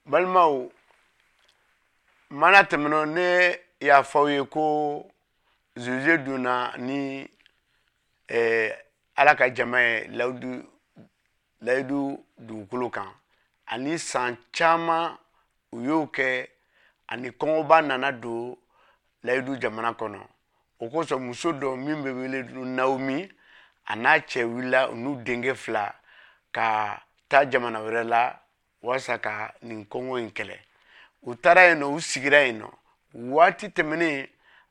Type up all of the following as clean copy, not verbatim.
Balimaw, mana tɛmɛnɔ, ne y'a fɔ aw ye ko Josué donna ni Ala ka jama ye layidu dugukolo kan, ani san caman u y'o kɛ, ani kɔngɔba nana don layidu jamana kɔnɔ. O kosɔn, muso dɔ min bɛ wele Naomi, a n'a cɛ wulila, u n'u denkɛ fila, ka taa jamana wɛrɛ la walasa ka nin kɔngɔ in kɛlɛ. U taara yen nɔ, u sigira yen nɔ. Waati tɛmɛnen,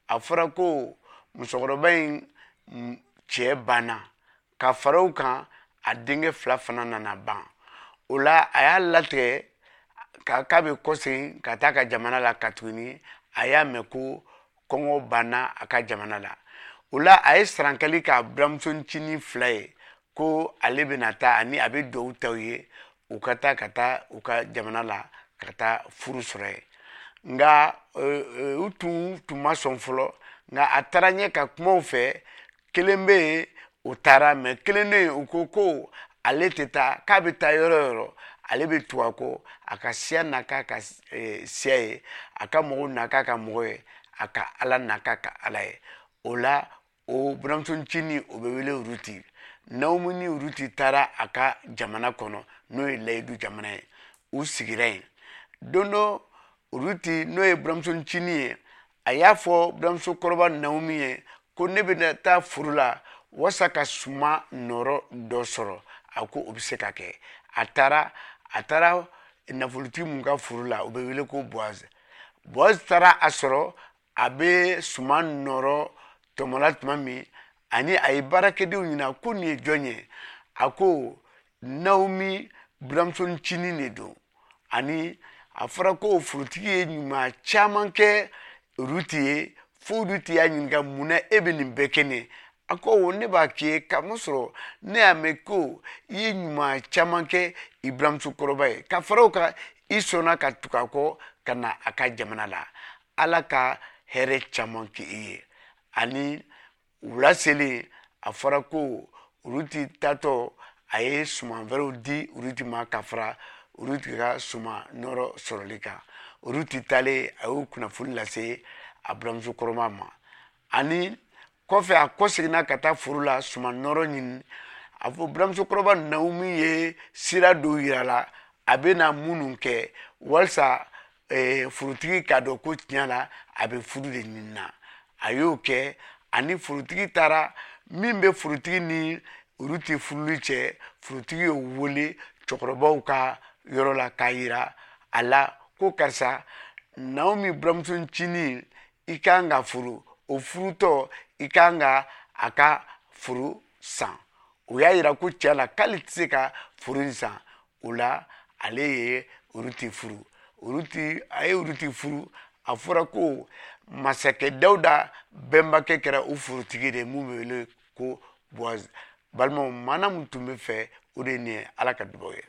a fɔra ko musokɔrɔba in cɛ banna, ka fara o kan, a denkɛ fila fana nana ban. O la, a y'a latigɛ k'a bɛ kɔsegin ka taa ka jamana la, ka tuguni a y'a mɛn ko kɔngɔ banna a ka jamana la. O la, a ye sarankali k'a buramuso ncinin fila ye ko ale bɛna taa, ani a bɛ duwawu ta u ye, u ka taa, ka taa u ka jamana la, ka taa furu sɔrɔ yen. Nka u tun ma sɔn fɔlɔ. Nka a taara ɲɛ ka kumaw fɛ. Kelen bɛ yen, o taara, mɛ kelen bɛ yen, u ko ko ale tɛ taa, k'a bɛ taa yɔrɔ o yɔrɔ, ale bɛ tugu a kɔ, a ka siya na k'a ka siya ye, a ka mɔgɔw na k'a ka mɔgɔ ye, a ka Ala na k'a ka Ala ye. O la, o buramuso ncinin, o bɛ wele Ruti. Naomi ni Ruti taara a ka jamana kɔnɔ, n'o ye layidu jamana ye. U sigira yen. Don dɔ, Ruti, n'o ye buramuso ncinin ye, a y'a fɔ buramuso kɔrɔba Naomi ye ko ne bɛna taa foro la walasa ka suma nɔrɔ dɔ sɔrɔ. A ko o bɛ se ka kɛ. A taara nafolotigi mun ka foro la, o bɛ wele ko Boaz. Boaz taara a sɔrɔ a bɛ suman nɔrɔ tɔmɔla tuma min, ani a ye baarakɛdenw ɲininka ko nin ye jɔn ye. A ko Naomi buramuso ncinin de don, ani a fɔra ko forotigi ye ɲuman caman kɛ Ruti ye, fo Ruti y'a ɲininka: munna e bɛ nin bɛɛ kɛ ne? A ko ne b'a k'i ye kamasɔrɔ ne y'a mɛn ko i ye ɲuman caman kɛ i buramuso kɔrɔba ye, ka fara o kan, i sɔnna ka tugu a kɔ ka na a ka jamana la. Ala ka hɛrɛ caman kɛ i ye. Ani wula selen, a fɔra ko Ruti tatɔ, a ye suman wɛrɛw di Ruti ma ka fara Ruti ka suman nɔrɔ sɔrɔli kan. Ruti taalen, a y'o kunnafoni lase a buramuso kɔrɔma ma. Ani kɔfɛ, a kɔseginna ka taa foro la suman nɔrɔ ɲini. A fɔ buramuso kɔrɔba Naomi ye sira dɔw yira la, a bɛna minnu kɛ walasa forotigi k'a dɔn ko tiɲɛ la a bɛ furu de ɲini na. A y'o kɛ, ani forotigi taara. Min bɛ forotigi ni Ruti furuli cɛ, forotigi y'o wele cɛkɔrɔbaw ka yɔrɔ la k'a yira a la ko karisa, Naomi buramuso ncinin, i kan ka furu. O furutɔ, i kan ka a ka furu san. O y'a yira ko tiɲɛ la k'ale tɛ se ka furu in san. O la, ale ye Ruti furu. Ruti, a ye Ruti furu. A fɔra ko masakɛ Dawuda bɛnbakɛ kɛra o forotigi de ye, mun bɛ wele ko Boaz. Balimaw, maana mun tun bɛ fɛ, o de ye nin ye. Ala ka dubaw ye.